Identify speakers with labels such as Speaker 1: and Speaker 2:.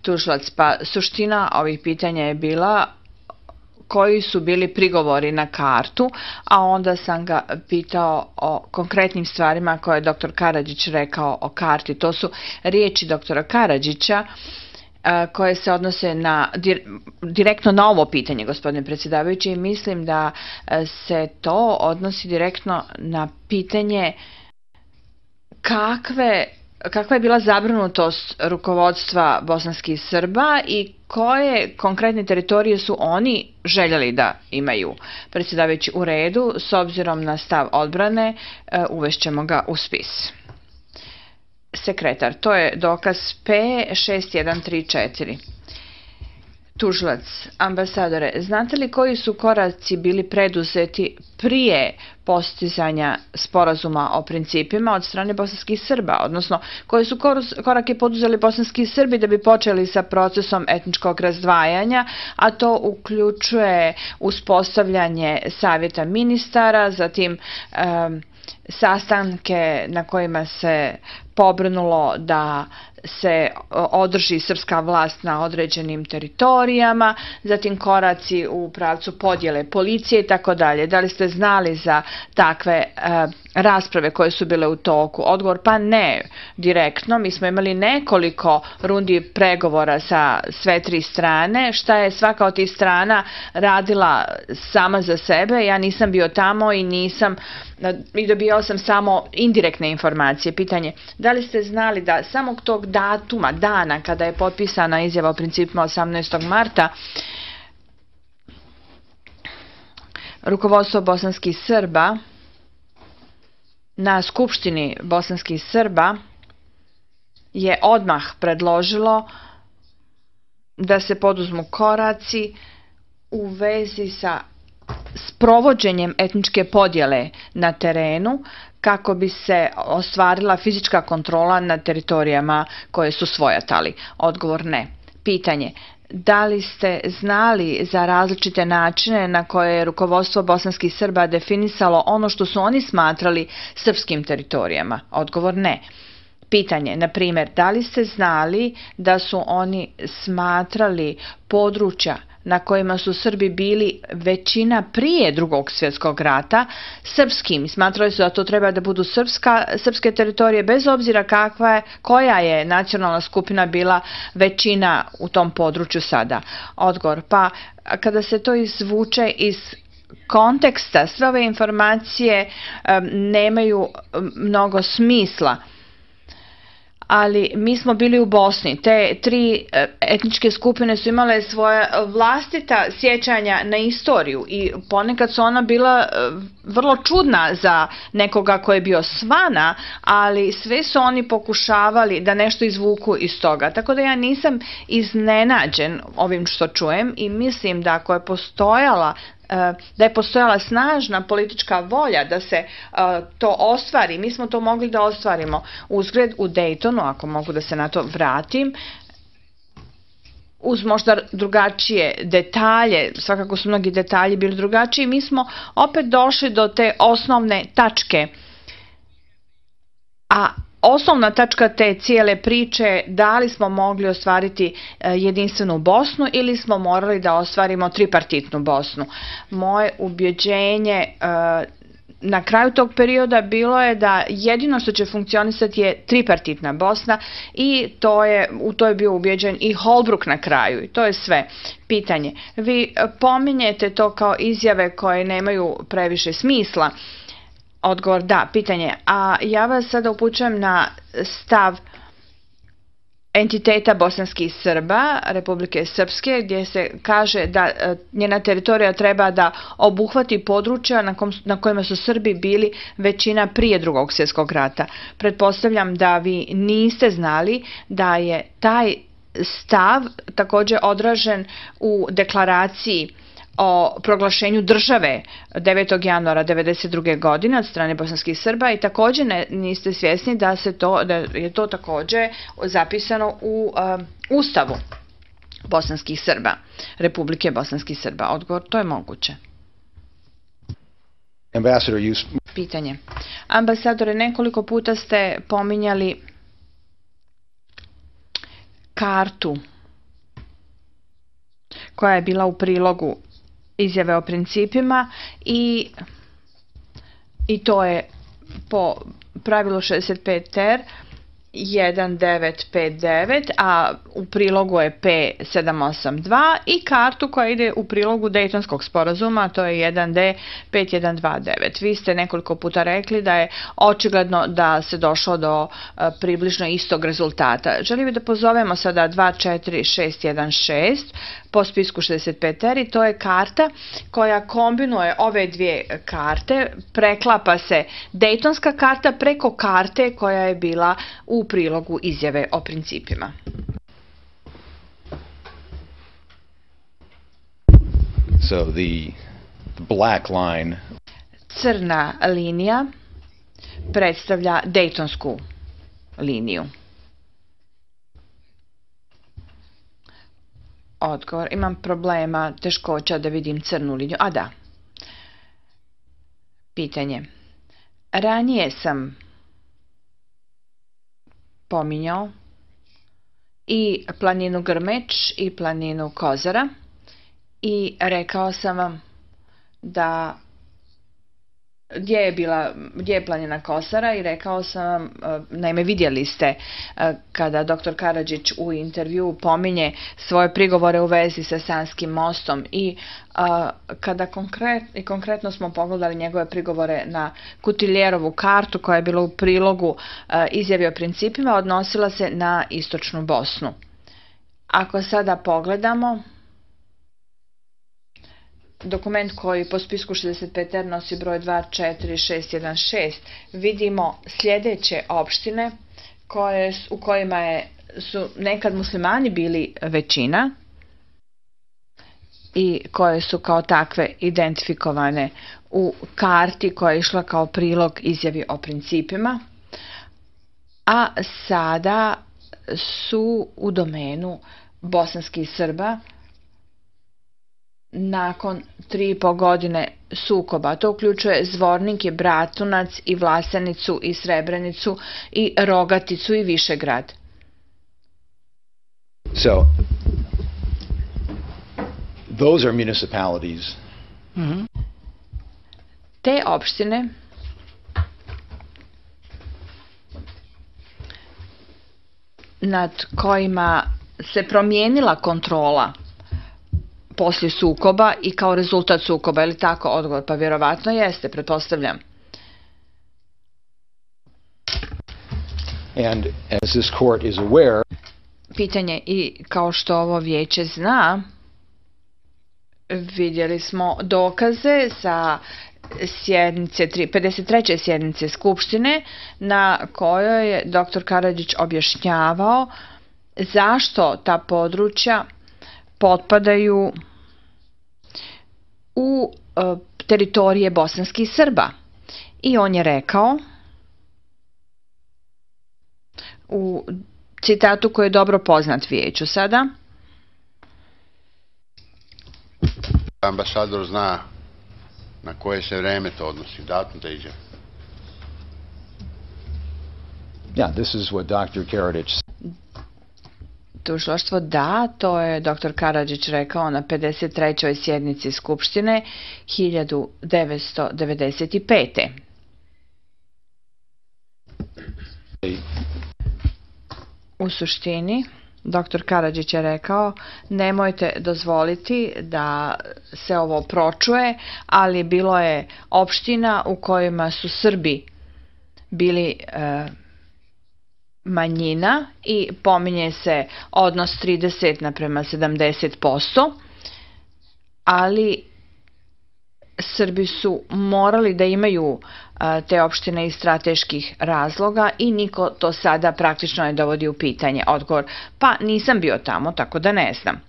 Speaker 1: Tužilac, pa suština ovih pitanja je bila koji su bili prigovori na kartu, a onda sam ga pitao o konkretnim stvarima koje je dr. Karadžić rekao o karti. To su riječi dr. Karadžića koje se odnose direktno na ovo pitanje, gospodine predsjedavajući, i mislim da se to odnosi direktno na pitanje kakva je bila zabrinutost rukovodstva bosanskih Srba i koje konkretne teritorije su oni željeli da imaju. Predsjedavajući, u redu, s obzirom na stav odbrane, uvešćemo ga u spis. Sekretar, to je dokaz P6134. Tužilac, ambasadore, znate li koji su koraci bili preduzeti prije postizanja sporazuma o principima od strane bosanskih Srba, odnosno koji su korake poduzeli bosanski Srbi da bi počeli sa procesom etničkog razdvajanja, a to uključuje uspostavljanje savjeta ministara, zatim sastanke na kojima se pobrinulo da se održi srpska vlast na određenim teritorijama, zatim koraci u pravcu podjele policije i tako dalje. Da li ste znali za takve rasprave koje su bile u toku? Odgovor, pa ne direktno. Mi smo imali nekoliko rundi pregovora sa sve tri strane. Šta je svaka od tih strana radila sama za sebe? Ja nisam bio tamo i dobijao sam samo indirektne informacije. Pitanje, da li ste znali da samog tog datuma, dana kada je potpisana izjava o principima 18. marta, rukovodstvo bosanskih Srba na Skupštini bosanskih Srba je odmah predložilo da se poduzmu koraci u vezi sa sprovođenjem etničke podjele na terenu kako bi se ostvarila fizička kontrola na teritorijama koje su svojatali. Odgovor, ne. Pitanje, da li ste znali za različite načine na koje je rukovodstvo bosanskih Srba definisalo ono što su oni smatrali srpskim teritorijama? Odgovor, ne. Pitanje, na primjer, da li ste znali da su oni smatrali područja na kojima su Srbi bili većina prije Drugog svjetskog rata srpskim i smatrali su da to treba da budu srpske teritorije bez obzira koja je nacionalna skupina bila većina u tom području sada? Odgovor, pa kada se to izvuče iz konteksta, sve ove informacije nemaju mnogo smisla. Ali mi smo bili u Bosni. Te tri etničke skupine su imale svoja vlastita sjećanja na istoriju i ponekad su ona bila vrlo čudna za nekoga ko je bio svana, ali sve su oni pokušavali da nešto izvuku iz toga. Tako da ja nisam iznenađen ovim što čujem i mislim da ako je postojala snažna politička volja da se to ostvari. Mi smo to mogli da ostvarimo. Uzgred, u Daytonu, ako mogu da se na to vratim, uz možda drugačije detalje, svakako su mnogi detalji bili drugačiji, mi smo opet došli do te osnovne tačke. A osnovna tačka te cijele priče, da li smo mogli ostvariti jedinstvenu Bosnu ili smo morali da ostvarimo tripartitnu Bosnu. Moje ubjeđenje na kraju tog perioda bilo je da jedino što će funkcionisati je tripartitna Bosna i u to je bio ubjeđen i Holbrooke na kraju i to je sve. Pitanje, vi pominjete to kao izjave koje nemaju previše smisla. Odgovor, da. Pitanje, a ja vas sada upućujem na stav entiteta bosanskih Srba, Republike Srpske, gdje se kaže da njena teritorija treba da obuhvati područja na kojima su Srbi bili većina prije Drugog svjetskog rata. Pretpostavljam da vi niste znali da je taj stav također odražen u deklaraciji o proglašenju države 9. januara 1992. godine od strane bosanskih Srba i također niste svjesni da je to također zapisano u Ustavu bosanskih Srba, Republike bosanskih Srba. Odgovor, to je moguće. Pitanje. Ambasadore, nekoliko puta ste pominjali kartu koja je bila u prilogu izjave o principima i to je po pravilu 65 ter 1959, a u prilogu je P782 i kartu koja ide u prilogu Dejtonskog sporazuma, to je 1D 5129. Vi ste nekoliko puta rekli da je očigledno da se došlo do približno istog rezultata. Želim da pozovemo sada 24616 po spisku 65 teri, to je karta koja kombinuje ove dvije karte, preklapa se Dejtonska karta preko karte koja je bila u prilogu izjave o principima.
Speaker 2: So the black line,
Speaker 1: crna linija predstavlja Dejtonsku liniju. Odgovor, imam problema, teškoća da vidim crnu liniju. A da. Pitanje. Ranije sam pominjao i planinu Grmeč i planinu Kozara i rekao sam vam da gdje je planina Kozara i rekao sam vam, naime vidjeli ste kada dr. Karadžić u intervju pominje svoje prigovore u vezi sa Sanskim mostom i kada konkretno smo pogledali njegove prigovore na Kutiljerovu kartu koja je bila u prilogu izjave o principima, odnosila se na istočnu Bosnu. Ako sada pogledamo dokument koji po spisku 65R nosi broj 24616, vidimo sljedeće opštine u kojima su nekad muslimani bili većina i koje su kao takve identifikovane u karti koja je išla kao prilog izjavi o principima, a sada su u domenu bosanskih Srba nakon 3,5 godine sukoba. To uključuje Zvornik, Bratunac i Vlasenicu i Srebrenicu i Rogaticu i Višegrad.
Speaker 2: so those are municipalities
Speaker 1: Te opštine nad kojima se promijenila kontrola poslije sukoba i kao rezultat sukoba, je li tako? Odgovor, pa vjerovatno jeste, pretpostavljam.
Speaker 2: and as this court is aware,
Speaker 1: Pitanje, i kao što ovo vijeće zna, vidjeli smo dokaze sa sjednice 53. sjednice Skupštine na kojoj je dr. Karadžić objašnjavao zašto ta područja potpadaju u teritorije bosanskih Srba. I on je rekao u citatu koji je dobro poznat vijeću sada:
Speaker 3: Ambasador zna na koje se vreme to odnosi, datum te izjave.
Speaker 2: yeah, this is what Dr. Karadžić
Speaker 1: Tužilaštvo, da, to je dr. Karadžić rekao na 53. sjednici Skupštine 1995. U suštini, dr. Karadžić je rekao, nemojte dozvoliti da se ovo pročuje, ali bilo je opština u kojima su Srbi bili manjina i pominje se odnos 30:70%, ali Srbi su morali da imaju te opštine iz strateških razloga i niko to sada praktično ne dovodi u pitanje. Odgovor, pa nisam bio tamo, tako da ne znam.